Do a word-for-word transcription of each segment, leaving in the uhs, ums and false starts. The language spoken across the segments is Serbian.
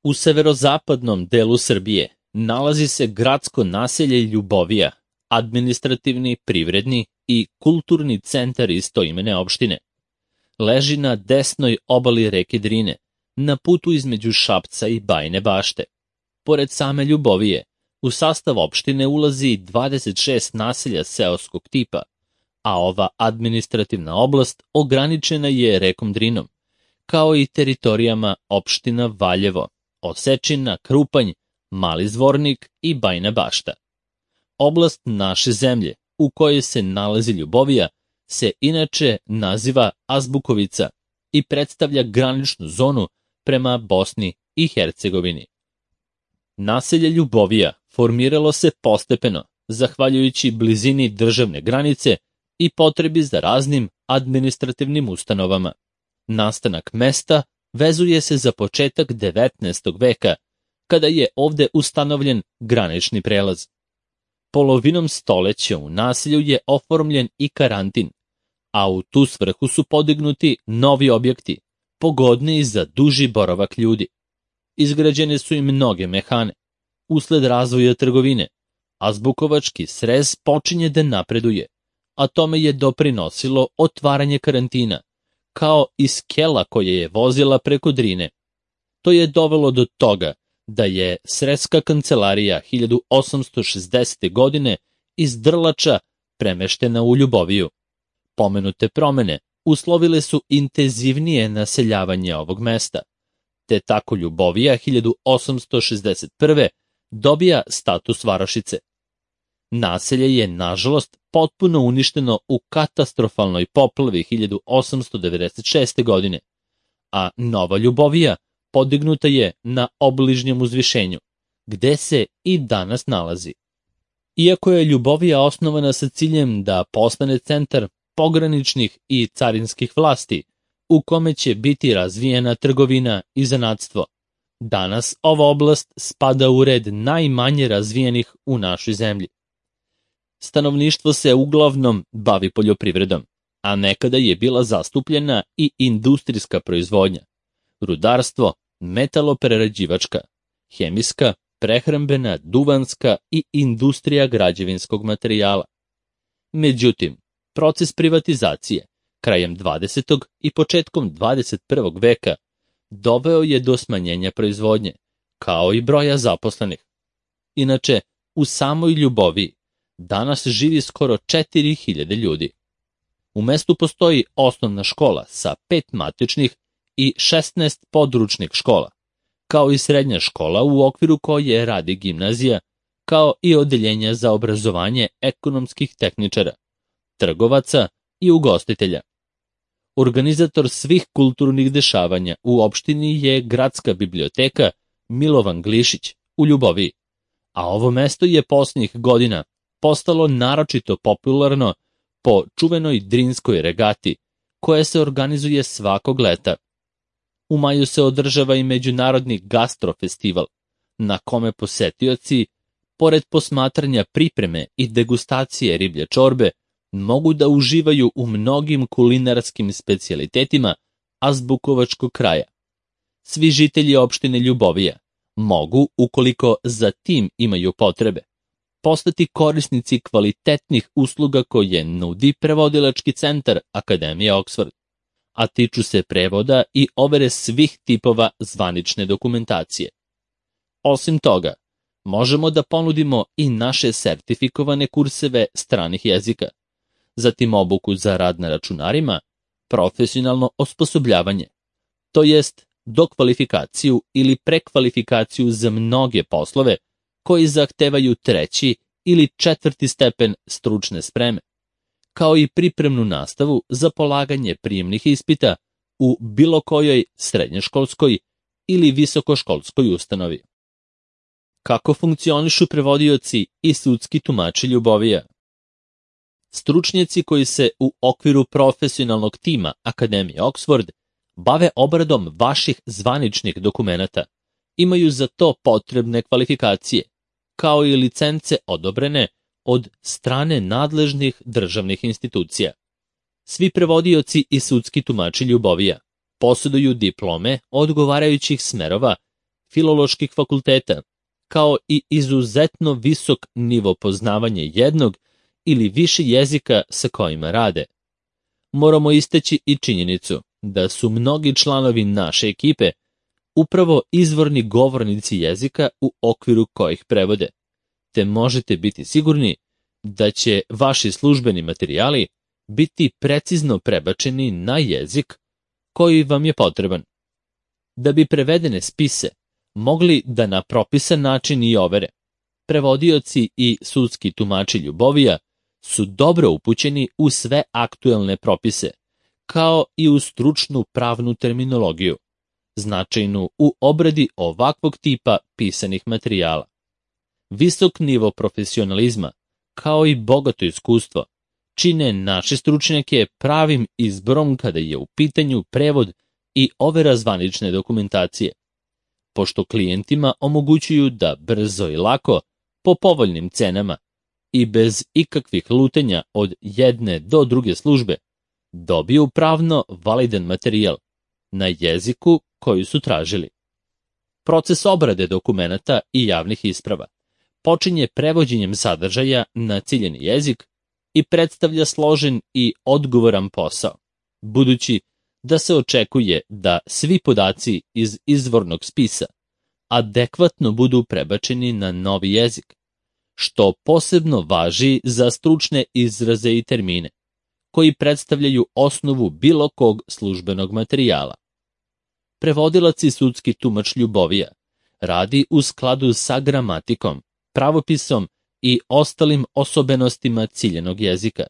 U severozapadnom delu Srbije nalazi se gradsko naselje Ljubovija, administrativni, privredni i kulturni centar istoimene opštine. Leži na desnoj obali reke Drine, na putu između Šapca i Bajine Bašte. Pored same Ljubovije, u sastav opštine ulazi dvadeset šest naselja seoskog tipa, a ova administrativna oblast ograničena je rekom Drinom, kao i teritorijama opština Valjevo, Osečina, Krupanj, Mali Zvornik i Bajina Bašta. Oblast naše zemlje, u kojoj se nalazi Ljubovija, se inače naziva Azbukovica i predstavlja graničnu zonu prema Bosni i Hercegovini. Naselje Ljubovija formiralo se postepeno, zahvaljujući blizini državne granice i potrebi za raznim administrativnim ustanovama. Nastanak mesta vezuje se za početak devetnaestog veka, kada je ovde ustanovljen granični prelaz. Polovinom stoleća u naselju je oformljen i karantin, a u tu svrhu su podignuti novi objekti, pogodniji za duži boravak ljudi. Izgrađene su i mnoge mehane. Usled razvoja trgovine, azbukovački srez počinje da napreduje, a tome je doprinosilo otvaranje karantina, kao i skela koja je vozila preko Drine. To je dovelo do toga da je srezska kancelarija hiljadu osamsto šezdesete. godine iz Drlača premeštena u Ljuboviju. Pomenute promene uslovile su intenzivnije naseljavanje ovog mesta, te tako Ljubovija hiljadu osamsto šezdeset prve. dobija status varošice. Naselje je, nažalost, potpuno uništeno u katastrofalnoj poplavi hiljadu osamsto devedeset šeste. godine, a Nova Ljubovija podignuta je na obližnjem uzvišenju, gde se i danas nalazi. Iako je Ljubovija osnovana sa ciljem da postane centar pograničnih i carinskih vlasti, u kome će biti razvijena trgovina i zanatstvo, danas ova oblast spada u red najmanje razvijenih u našoj zemlji. Stanovništvo se uglavnom bavi poljoprivredom, a nekada je bila zastupljena i industrijska proizvodnja, rudarstvo, metaloprerađivačka, hemijska, prehrambena, duvanska i industrija građevinskog materijala. Međutim, proces privatizacije krajem dvadesetog i početkom dvadeset prvog veka doveo je do smanjenja proizvodnje, kao i broja zaposlenih. Inače, u samoj Ljuboviji danas živi skoro četiri hiljade ljudi. U mestu postoji osnovna škola sa pet matičnih i šesnaest područnih škola, kao i srednja škola u okviru koje radi gimnazija, kao i odeljenja za obrazovanje ekonomskih tehničara, trgovaca i ugostitelja. Organizator svih kulturnih dešavanja u opštini je Gradska biblioteka Milovan Glišić u Ljuboviji, a ovo mesto je posljednjih godina postalo naročito popularno po čuvenoj Drinskoj regati, koja se organizuje svakog leta. U maju se održava i međunarodni gastrofestival, na kome posetioci, pored posmatranja pripreme i degustacije riblje čorbe, mogu da uživaju u mnogim kulinarskim specijalitetima azbukovačkog kraja. Svi žitelji opštine Ljubovija mogu, ukoliko za tim imaju potrebe, postati korisnici kvalitetnih usluga koje nudi prevodilački centar Akademije Oxford, a tiču se prevoda i overe svih tipova zvanične dokumentacije. Osim toga, možemo da ponudimo i naše sertifikovane kurseve stranih jezika, zatim obuku za rad na računarima, profesionalno osposobljavanje, to jest dokvalifikaciju ili prekvalifikaciju za mnoge poslove koji zahtevaju treći ili četvrti stepen stručne spreme, kao i pripremnu nastavu za polaganje prijemnih ispita u bilo kojoj srednjoškolskoj ili visokoškolskoj ustanovi. Kako funkcionišu prevodioci i sudski tumači Ljubovija? Stručnjaci koji se u okviru profesionalnog tima Akademije Oxford bave obradom vaših zvaničnih dokumenata, imaju za to potrebne kvalifikacije, kao i licence odobrene od strane nadležnih državnih institucija. Svi prevodioci i sudski tumači Ljubovija posjeduju diplome odgovarajućih smerova filoloških fakulteta, kao i izuzetno visok nivo poznavanja jednog ili više jezika sa kojima rade. Moramo istaći i činjenicu da su mnogi članovi naše ekipe upravo izvorni govornici jezika u okviru kojih prevode, te možete biti sigurni da će vaši službeni materijali biti precizno prebačeni na jezik koji vam je potreban. Da bi prevedene spise mogli da na propisan način i overe, prevodioci i sudski tumači ljubovija su dobro upućeni u sve aktuelne propise, kao i u stručnu pravnu terminologiju, značajnu u obradi ovakvog tipa pisanih materijala. Visok nivo profesionalizma, kao i bogato iskustvo, čine naše stručnjake pravim izborom kada je u pitanju prevod i overa zvanične dokumentacije, pošto klijentima omogućuju da brzo i lako, po povoljnim cenama i bez ikakvih lutenja od jedne do druge službe, dobiju pravno validan materijal na jeziku koji su tražili. Proces obrade dokumenata i javnih isprava počinje prevođenjem sadržaja na ciljeni jezik i predstavlja složen i odgovoran posao, budući da se očekuje da svi podaci iz izvornog spisa adekvatno budu prebačeni na novi jezik, što posebno važi za stručne izraze i termine, koji predstavljaju osnovu bilo kog službenog materijala. Prevodilac i sudski tumač ljubovija radi u skladu sa gramatikom, pravopisom i ostalim osobenostima ciljenog jezika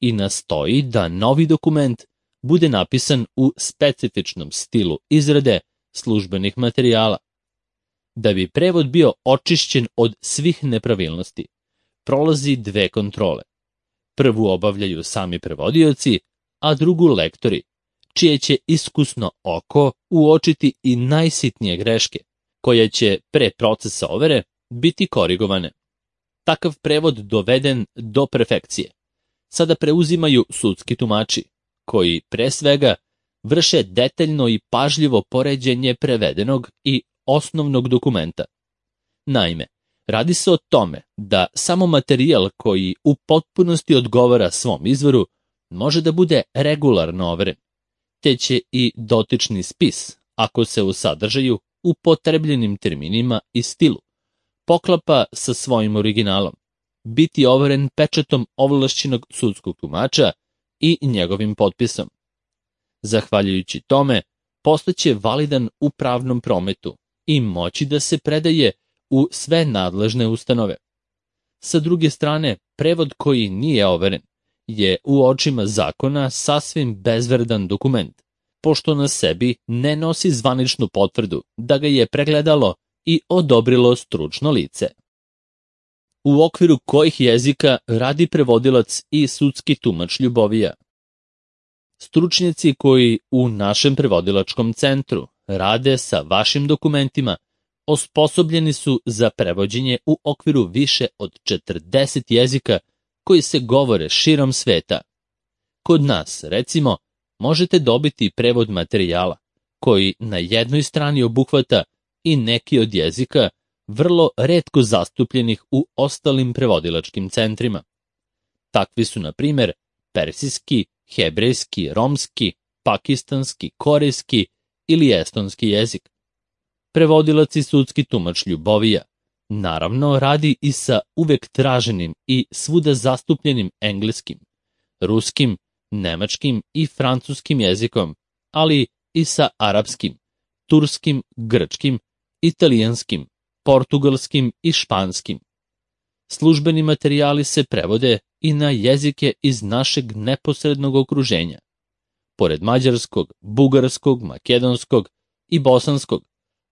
i nastoji da novi dokument bude napisan u specifičnom stilu izrade službenih materijala. Da bi prevod bio očišćen od svih nepravilnosti, prolazi dve kontrole. Prvu obavljaju sami prevodioci, a drugu lektori, čije će iskusno oko uočiti i najsitnije greške, koje će pre procesa overe biti korigovane. Takav prevod doveden do perfekcije sada preuzimaju sudski tumači, koji pre svega vrše detaljno i pažljivo poređenje prevedenog i osnovnog dokumenta. Naime, radi se o tome da samo materijal koji u potpunosti odgovara svom izvoru može da bude regularno overen, te će i dotični spis, ako se u sadržaju upotrebljenim terminima i stilu poklapa sa svojim originalom, biti overen pečatom ovlašćenog sudskog tumača i njegovim potpisom. Zahvaljujući tome, postaće validan u pravnom prometu i moći da se predaje u sve nadležne ustanove. Sa druge strane, prevod koji nije overen je u očima zakona sasvim bezvredan dokument, pošto na sebi ne nosi zvaničnu potvrdu da ga je pregledalo i odobrilo stručno lice. U okviru kojih jezika radi prevodilac i sudski tumač ljubovija? Stručnjaci koji u našem prevodilačkom centru rade sa vašim dokumentima osposobljeni su za prevođenje u okviru više od četrdeset jezika koji se govore širom sveta. Kod nas, recimo, možete dobiti prevod materijala koji na jednoj strani obuhvata i neki od jezika vrlo retko zastupljenih u ostalim prevodilačkim centrima. Takvi su, na primjer, persijski, hebrejski, romski, pakistanski, korejski ili estonski jezik. Prevodilac i sudski tumač ljubovija naravno radi i sa uvek traženim i svuda zastupljenim engleskim, ruskim, nemačkim i francuskim jezikom, ali i sa arapskim, turskim, grčkim, italijanskim, portugalskim i španskim. Službeni materijali se prevode i na jezike iz našeg neposrednog okruženja. Pored mađarskog, bugarskog, makedonskog i bosanskog,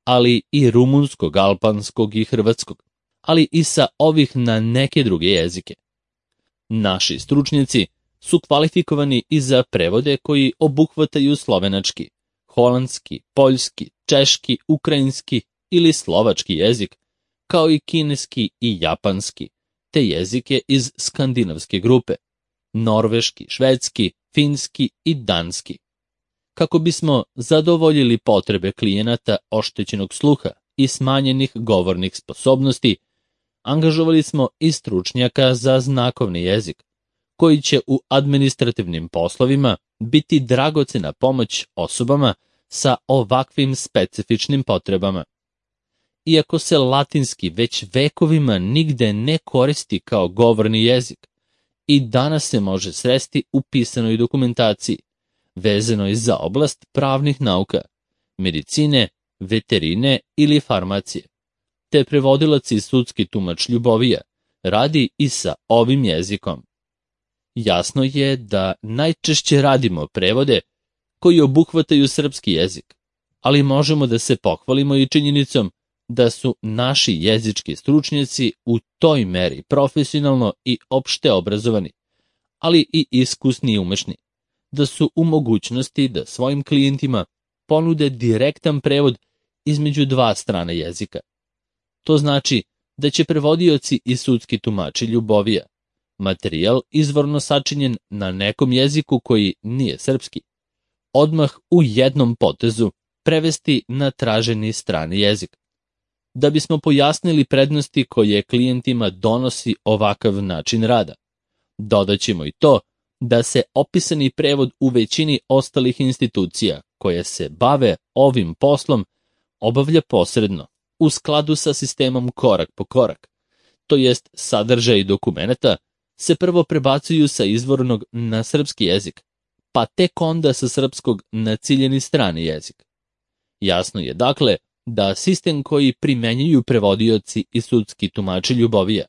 ali i rumunskog, albanskog i hrvatskog, ali i sa ovih na neke druge jezike. Naši stručnjaci su kvalifikovani i za prevode koji obuhvataju slovenački, holandski, poljski, češki, ukrajinski ili slovački jezik, kao i kineski i japanski, te jezike iz skandinavske grupe, norveški, švedski, finski i danski. Kako bismo zadovoljili potrebe klijenata oštećenog sluha i smanjenih govornih sposobnosti, angažovali smo i stručnjaka za znakovni jezik, koji će u administrativnim poslovima biti dragocena pomoć osobama sa ovakvim specifičnim potrebama. Iako se latinski već vekovima nigde ne koristi kao govorni jezik, i danas se može sresti u pisanoj dokumentaciji, vezanoj za oblast pravnih nauka, medicine, veterine ili farmacije, te prevodilac i sudski tumač Ljubovija radi i sa ovim jezikom. Jasno je da najčešće radimo prevode koji obuhvataju srpski jezik, ali možemo da se pohvalimo i činjenicom da su naši jezički stručnjaci u toj meri profesionalno i opšte obrazovani, ali i iskusni i umešni, da su u mogućnosti da svojim klijentima ponude direktan prevod između dva strana jezika. To znači da će prevodioci i sudski tumači Ljubovija materijal izvorno sačinjen na nekom jeziku koji nije srpski, odmah u jednom potezu prevesti na traženi strani jezik. Da bismo pojasnili prednosti koje klijentima donosi ovakav način rada, dodaćemo i to da se opisani prevod u većini ostalih institucija koje se bave ovim poslom obavlja posredno, u skladu sa sistemom korak po korak, to jest sadržaj dokumenata se prvo prebacuju sa izvornog na srpski jezik, pa tek onda sa srpskog na ciljeni strani jezik. Jasno je dakle da sistem koji primenjuju prevodioci i sudski tumači Ljubovija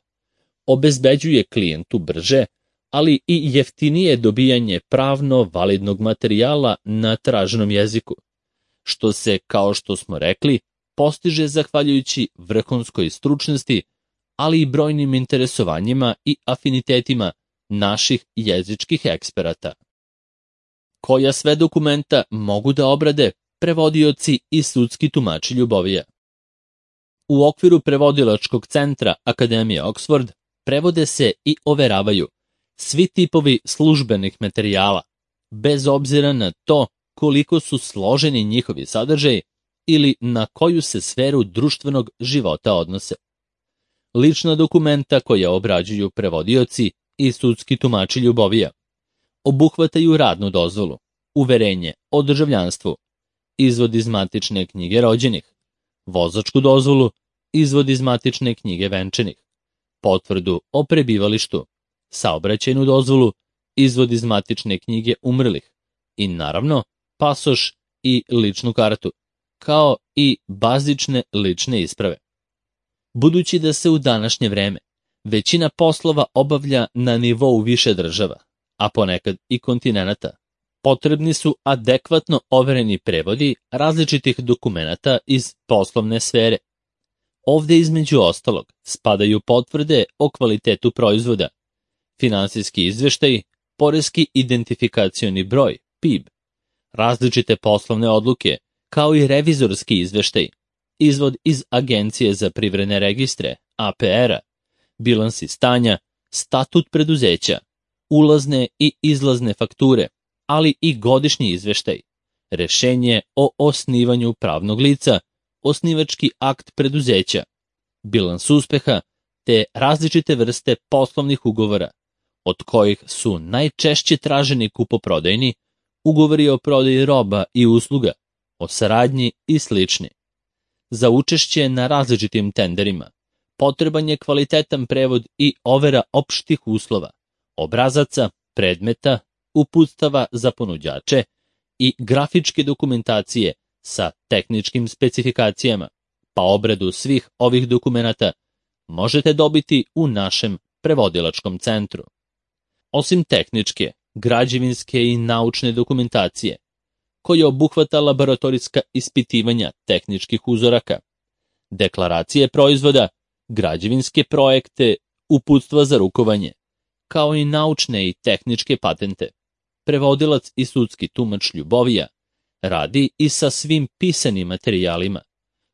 obezbeđuje klijentu brže, ali i jeftinije dobijanje pravno validnog materijala na traženom jeziku, što se, kao što smo rekli, postiže zahvaljujući vrhunskoj stručnosti, ali i brojnim interesovanjima i afinitetima naših jezičkih eksperata. Koja sve dokumenta mogu da obrade prevodioci i sudski tumači Ljubovija? U okviru prevodilačkog centra Akademije Oxford prevode se i overavaju svi tipovi službenih materijala, bez obzira na to koliko su složeni njihovi sadržaji ili na koju se sferu društvenog života odnose. Lična dokumenta koja obrađuju prevodioci i sudski tumači Ljubovija obuhvataju radnu dozvolu, uverenje o državljanstvu, izvod iz matične knjige rođenih, vozačku dozvolu, izvod iz matične knjige venčanih, potvrdu o prebivalištu, saobraćajnu dozvolu, izvod iz matične knjige umrlih i naravno pasoš i ličnu kartu, kao i bazične lične isprave. Budući da se u današnje vreme većina poslova obavlja na nivou više država, a ponekad i kontinenata, potrebni su adekvatno overeni prevodi različitih dokumenata iz poslovne sfere. Ovde između ostalog spadaju potvrde o kvalitetu proizvoda, finansijski izveštaji, poreski identifikacioni broj, P I B, različite poslovne odluke, kao i revizorski izveštaj, izvod iz Agencije za privredne registre, A P R-a, bilansi stanja, statut preduzeća, ulazne i izlazne fakture, ali i godišnji izveštaj, rešenje o osnivanju pravnog lica, osnivački akt preduzeća, bilans uspeha, te različite vrste poslovnih ugovora, od kojih su najčešće traženi kupoprodajni, ugovori o prodaji roba i usluga, o saradnji i slični. Za učešće na različitim tenderima potreban je kvalitetan prevod i overa opštih uslova, obrazaca, predmeta, uputstava za ponuđače i grafičke dokumentacije sa tehničkim specifikacijama, pa obradu svih ovih dokumenata možete dobiti u našem prevodilačkom centru. Osim tehničke, građevinske i naučne dokumentacije, koja obuhvata laboratorijska ispitivanja tehničkih uzoraka, deklaracije proizvoda, građevinske projekte, uputstva za rukovanje, kao i naučne i tehničke patente, prevodilac i sudski tumač Ljubovija radi i sa svim pisanim materijalima,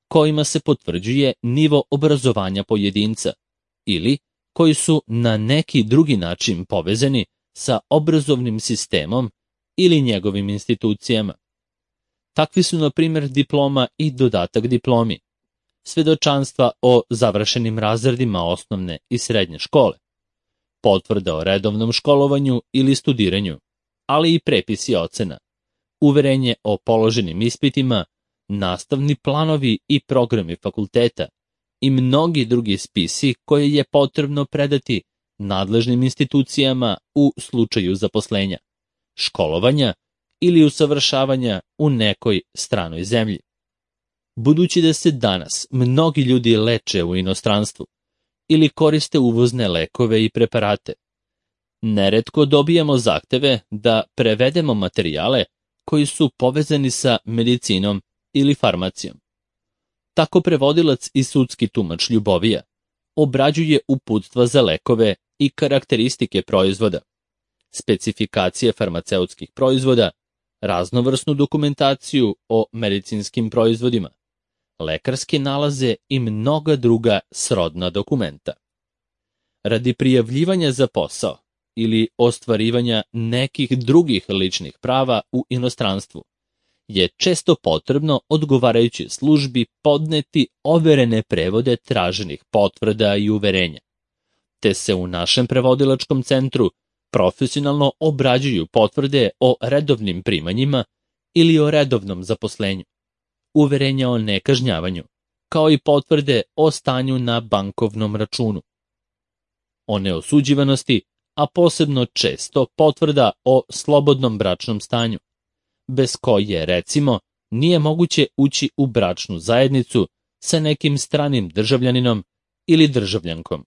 kojima se potvrđuje nivo obrazovanja pojedinca ili koji su na neki drugi način povezani sa obrazovnim sistemom ili njegovim institucijama. Takvi su, na primjer, diploma i dodatak diplomi, svedočanstva o završenim razredima osnovne i srednje škole, potvrda o redovnom školovanju ili studiranju, ali i prepisi ocena, uverenje o položenim ispitima, nastavni planovi i programi fakulteta i mnogi drugi spisi koje je potrebno predati nadležnim institucijama u slučaju zaposlenja, školovanja ili usavršavanja u nekoj stranoj zemlji. Budući da se danas mnogi ljudi leče u inostranstvu ili koriste uvozne lekove i preparate, neretko dobijamo zahteve da prevedemo materijale koji su povezani sa medicinom ili farmacijom. Tako prevodilac i sudski tumač Ljubovija obrađuje uputstva za lekove i karakteristike proizvoda, specifikacije farmaceutskih proizvoda, raznovrsnu dokumentaciju o medicinskim proizvodima, lekarske nalaze i mnoga druga srodna dokumenta. Radi prijavljivanja za posao ili ostvarivanja nekih drugih ličnih prava u inostranstvu je često potrebno odgovarajućoj službi podneti overene prevode traženih potvrda i uverenja, te se u našem prevodilačkom centru profesionalno obrađuju potvrde o redovnim primanjima ili o redovnom zaposlenju, uverenja o nekažnjavanju, kao i potvrde o stanju na bankovnom računu, o neosuđivanosti, a posebno često potvrda o slobodnom bračnom stanju, bez koje, recimo, nije moguće ući u bračnu zajednicu sa nekim stranim državljaninom ili državljankom.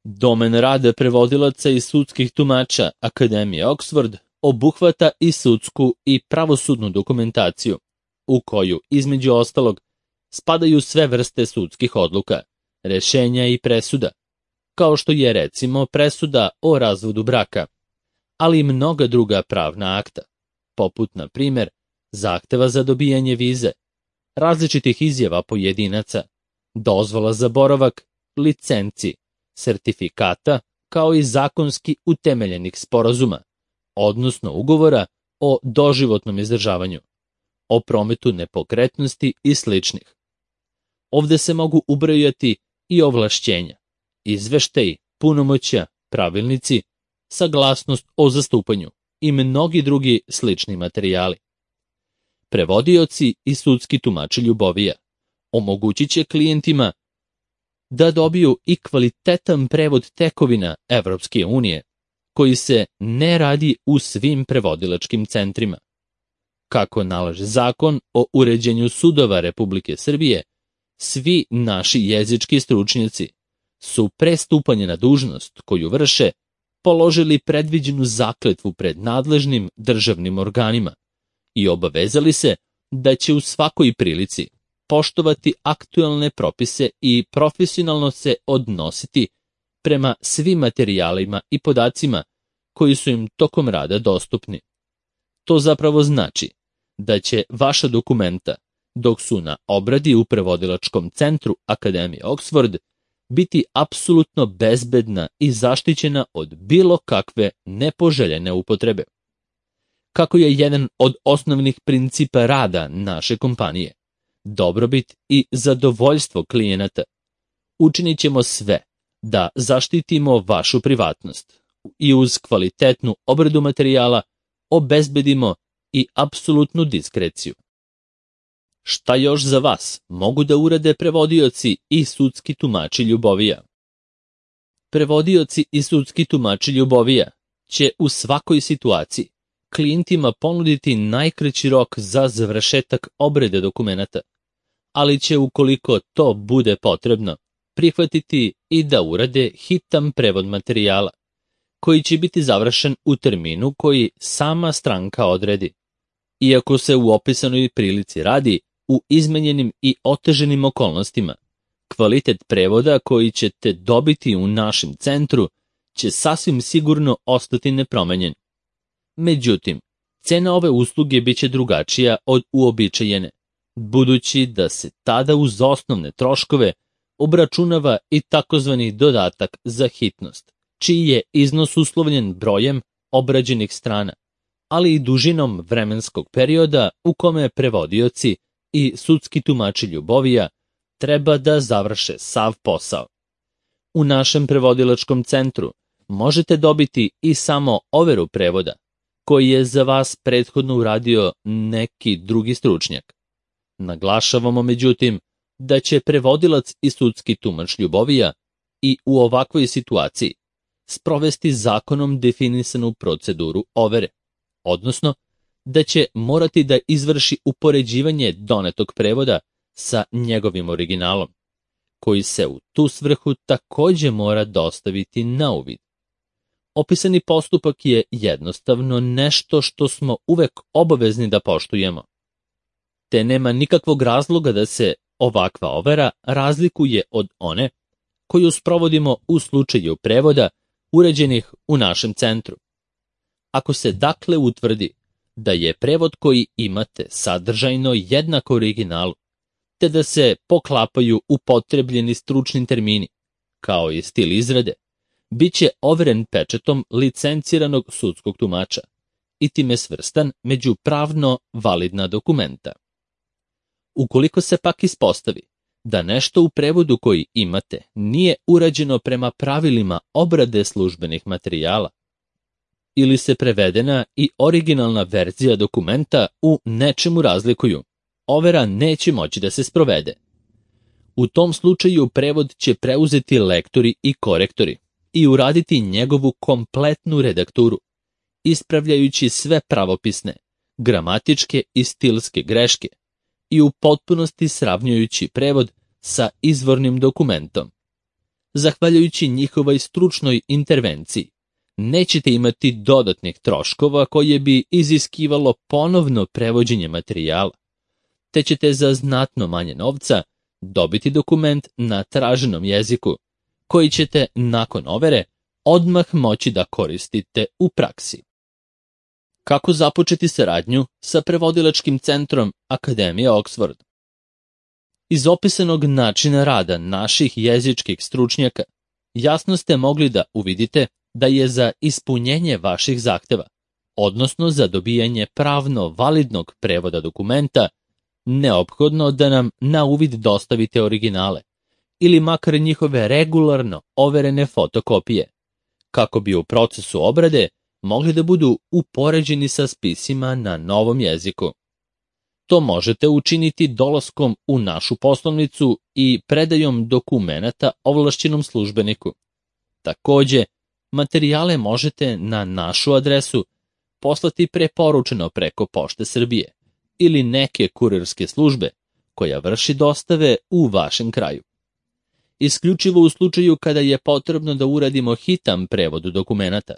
Domen rada prevodilaca i sudskih tumača Akademije Oxford obuhvata i sudsku i pravosudnu dokumentaciju, u koju, između ostalog, spadaju sve vrste sudskih odluka, rešenja i presuda, kao što je, recimo, presuda o razvodu braka, ali i mnoga druga pravna akta, poput, na primjer, zahteva za dobijanje vize, različitih izjava pojedinaca, dozvola za boravak, licenci, sertifikata, kao i zakonski utemeljenih sporazuma, odnosno ugovora o doživotnom izdržavanju, o prometu nepokretnosti i sličnih. Ovde se mogu ubrojati i ovlašćenja, izveštaji, punomoćja, pravilnici, saglasnost o zastupanju i mnogi drugi slični materijali. Prevodioci i sudski tumači Ljubovija omogućit će klijentima da dobiju i kvalitetan prevod tekovina Evropske unije, koji se ne radi u svim prevodilačkim centrima. Kako nalaže zakon o uređenju sudova Republike Srbije, svi naši jezički stručnjaci su pre stupanja na dužnost koju vrše položili predviđenu zakletvu pred nadležnim državnim organima i obavezali se da će u svakoj prilici poštovati aktuelne propise i profesionalno se odnositi prema svim materijalima i podacima koji su im tokom rada dostupni. To zapravo znači da će vaša dokumenta, dok su na obradi u prevodilačkom centru Akademije Oxford, biti apsolutno bezbedna i zaštićena od bilo kakve nepoželjene upotrebe. Kako je jedan od osnovnih principa rada naše kompanije dobrobit i zadovoljstvo klijenata, učinit ćemo sve da zaštitimo vašu privatnost i uz kvalitetnu obradu materijala obezbedimo i apsolutnu diskreciju. Šta još za vas mogu da urade prevodioci i sudski tumači Ljubovija? Prevodioci i sudski tumači Ljubovija će u svakoj situaciji klijentima ponuditi najkraći rok za završetak obrade dokumenata, ali će, ukoliko to bude potrebno, prihvatiti i da urade hitan prevod materijala, koji će biti završen u terminu koji sama stranka odredi. Iako se u opisanoj prilici radi u izmenjenim i oteženim okolnostima, kvalitet prevoda koji ćete dobiti u našem centru će sasvim sigurno ostati nepromenjen. Međutim, cena ove usluge biće drugačija od uobičajene, budući da se tada uz osnovne troškove obračunava i takozvani dodatak za hitnost, čiji je iznos uslovljen brojem obrađenih strana, ali i dužinom vremenskog perioda u kome prevodioci i sudski tumači Ljubovija treba da završe sav posao. U našem prevodilačkom centru možete dobiti i samo overu prevoda, koji je za vas prethodno uradio neki drugi stručnjak. Naglašavamo međutim da će prevodilac i sudski tumač Ljubovija i u ovakvoj situaciji sprovesti zakonom definisanu proceduru overe, odnosno da će morati da izvrši upoređivanje donetog prevoda sa njegovim originalom, koji se u tu svrhu takođe mora dostaviti na uvid. Opisani postupak je jednostavno nešto što smo uvek obavezni da poštujemo, te nema nikakvog razloga da se ovakva overa razlikuje od one koju sprovodimo u slučaju prevoda uređenih u našem centru. Ako se dakle utvrdi da je prevod koji imate sadržajno jednak originalu, te da se poklapaju upotrebljeni stručni termini, kao i stil izrade, bit će overen pečetom licenciranog sudskog tumača i time svrstan među pravno validna dokumenta. Ukoliko se pak ispostavi da nešto u prevodu koji imate nije urađeno prema pravilima obrade službenih materijala, ili se prevedena i originalna verzija dokumenta u nečemu razlikuju, overa neće moći da se sprovede. U tom slučaju prevod će preuzeti lektori i korektori i uraditi njegovu kompletnu redakturu, ispravljajući sve pravopisne, gramatičke i stilske greške i u potpunosti sravnjujući prevod sa izvornim dokumentom. Zahvaljujući njihovoj stručnoj intervenciji, nećete imati dodatnih troškova koje bi iziskivalo ponovno prevođenje materijala, te ćete za znatno manje novca dobiti dokument na traženom jeziku, koji ćete nakon overe odmah moći da koristite u praksi. Kako započeti saradnju sa prevodilačkim centrom Akademije Oxford? Iz opisanog načina rada naših jezičkih stručnjaka jasno ste mogli da uvidite da je za ispunjenje vaših zahteva, odnosno za dobijanje pravno validnog prevoda dokumenta, neophodno da nam na uvid dostavite originale ili makar njihove regularno overene fotokopije, kako bi u procesu obrade mogli da budu upoređeni sa spisima na novom jeziku. To možete učiniti dolaskom u našu poslovnicu i predajom dokumenata ovlašćenom službeniku. Takođe, materijale možete na našu adresu poslati preporučeno preko Pošte Srbije ili neke kurirske službe koja vrši dostave u vašem kraju. Isključivo u slučaju kada je potrebno da uradimo hitan prevod dokumenata,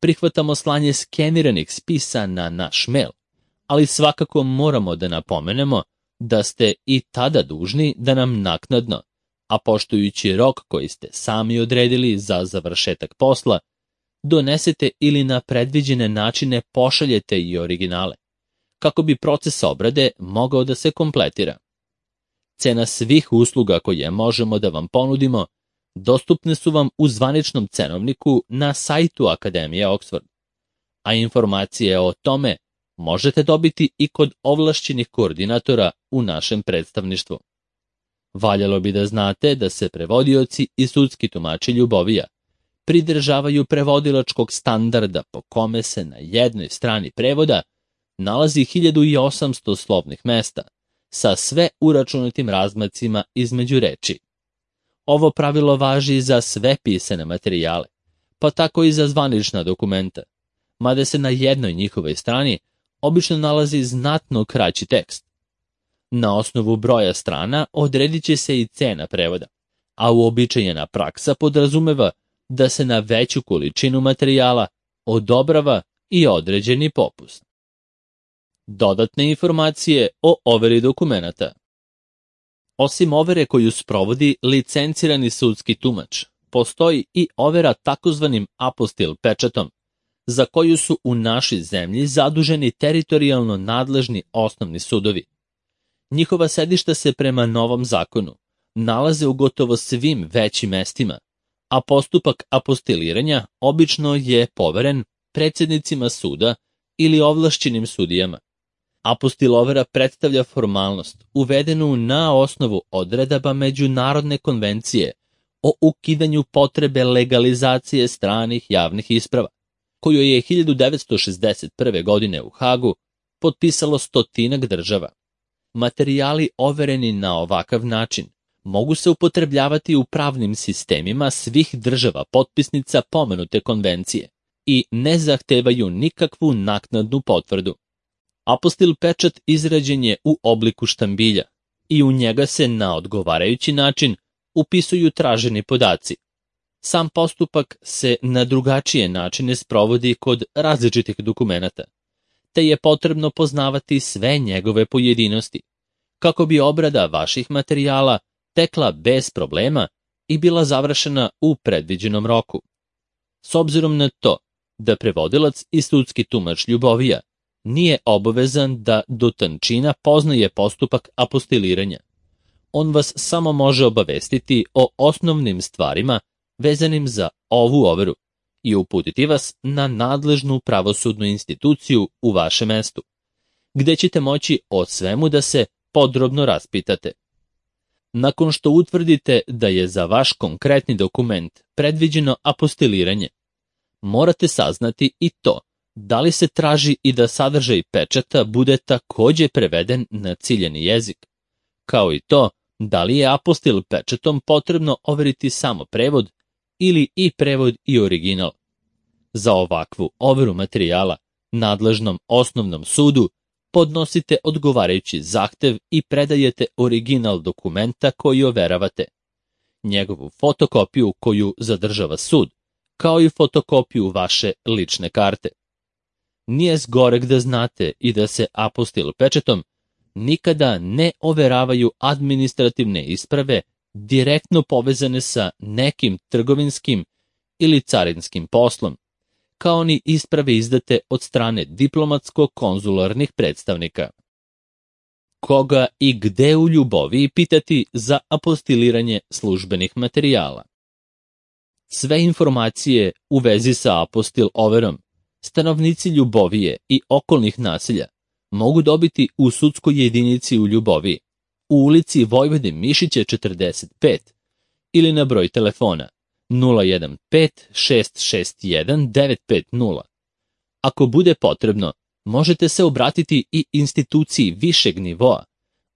prihvatamo slanje skeniranih spisa na naš mail, ali svakako moramo da napomenemo da ste i tada dužni da nam naknadno, a poštujući rok koji ste sami odredili za završetak posla, donesete ili na predviđene načine pošaljete i originale, kako bi proces obrade mogao da se kompletira. Cena svih usluga koje možemo da vam ponudimo dostupne su vam u zvaničnom cenovniku na sajtu Akademije Oxford, a informacije o tome možete dobiti i kod ovlašćenih koordinatora u našem predstavništvu. Valjalo bi da znate da se prevodioci i sudski tumači Ljubovija pridržavaju prevodilačkog standarda po kome se na jednoj strani prevoda nalazi hiljadu osamsto slovnih mesta sa sve uračunatim razmacima između reči. Ovo pravilo važi za sve pisane materijale, pa tako i za zvanična dokumenta, mada se na jednoj njihovoj strani obično nalazi znatno kraći tekst. Na osnovu broja strana odredit će se i cena prevoda, a uobičajena praksa podrazumeva da se na veću količinu materijala odobrava i određeni popust. Dodatne informacije o overi dokumenata. Osim overe koju sprovodi licencirani sudski tumač, postoji i overa takozvanim apostil pečatom, za koju su u našoj zemlji zaduženi teritorijalno nadležni osnovni sudovi. Njihova sedišta se prema novom zakonu nalaze u gotovo svim većim mestima, a postupak apostiliranja obično je poveren predsjednicima suda ili ovlašćenim sudijama. Apostil overa predstavlja formalnost uvedenu na osnovu odredaba Međunarodne konvencije o ukidanju potrebe legalizacije stranih javnih isprava, koju je hiljadu devetsto šezdeset prve. godine u Hagu potpisalo stotinak država. Materijali overeni na ovakav način mogu se upotrebljavati u pravnim sistemima svih država potpisnica pomenute konvencije i ne zahtevaju nikakvu naknadnu potvrdu. Apostil pečat izrađen je u obliku štambilja i u njega se na odgovarajući način upisuju traženi podaci. Sam postupak se na drugačije načine sprovodi kod različitih dokumenata, te je potrebno poznavati sve njegove pojedinosti, kako bi obrada vaših materijala tekla bez problema i bila završena u predviđenom roku. S obzirom na to da prevodilac i sudski tumač Ljubovija nije obavezan da do tančina poznaje postupak apostiliranja, on vas samo može obavestiti o osnovnim stvarima vezanim za ovu overu i uputiti vas na nadležnu pravosudnu instituciju u vašem mestu, gde ćete moći o svemu da se podrobno raspitate. Nakon što utvrdite da je za vaš konkretni dokument predviđeno apostiliranje, morate saznati i to da li se traži i da sadržaj pečata bude takođe preveden na ciljani jezik, kao i to da li je apostil pečatom potrebno overiti samo prevod ili i prevod i original. Za ovakvu overu materijala nadležnom osnovnom sudu podnosite odgovarajući zahtev i predajete original dokumenta koji overavate, njegovu fotokopiju koju zadržava sud, kao i fotokopiju vaše lične karte. Nije zgoreg da znate i da se apostil pečatom nikada ne overavaju administrativne isprave direktno povezane sa nekim trgovinskim ili carinskim poslom, kao ni isprave izdate od strane diplomatsko-konzularnih predstavnika. Koga i gde u Ljuboviji pitati za apostiliranje službenih materijala? Sve informacije u vezi sa apostil overom stanovnici Ljubovije i okolnih naselja mogu dobiti u sudskoj jedinici u Ljuboviji, u ulici Vojvode Mišića četrdeset pet ili na broj telefona nula jedan pet šest šest jedan devet pet nula. Ako bude potrebno, možete se obratiti i instituciji višeg nivoa,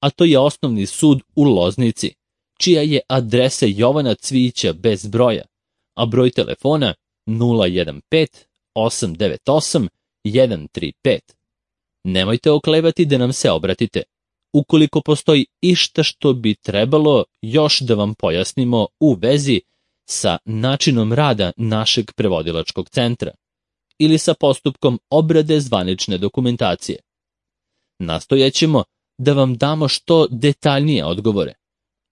a to je Osnovni sud u Loznici, čija je adresa Jovana Cvijića bez broja, a broj telefona nula jedan pet osam devet osam jedan tri pet. Nemojte oklevati da nam se obratite, ukoliko postoji išta što bi trebalo još da vam pojasnimo u vezi sa načinom rada našeg prevodilačkog centra ili sa postupkom obrade zvanične dokumentacije. Nastojaćemo da vam damo što detaljnije odgovore,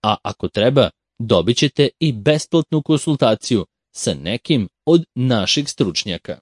a ako treba, dobit ćete i besplatnu konsultaciju sa nekim od naših stručnjaka.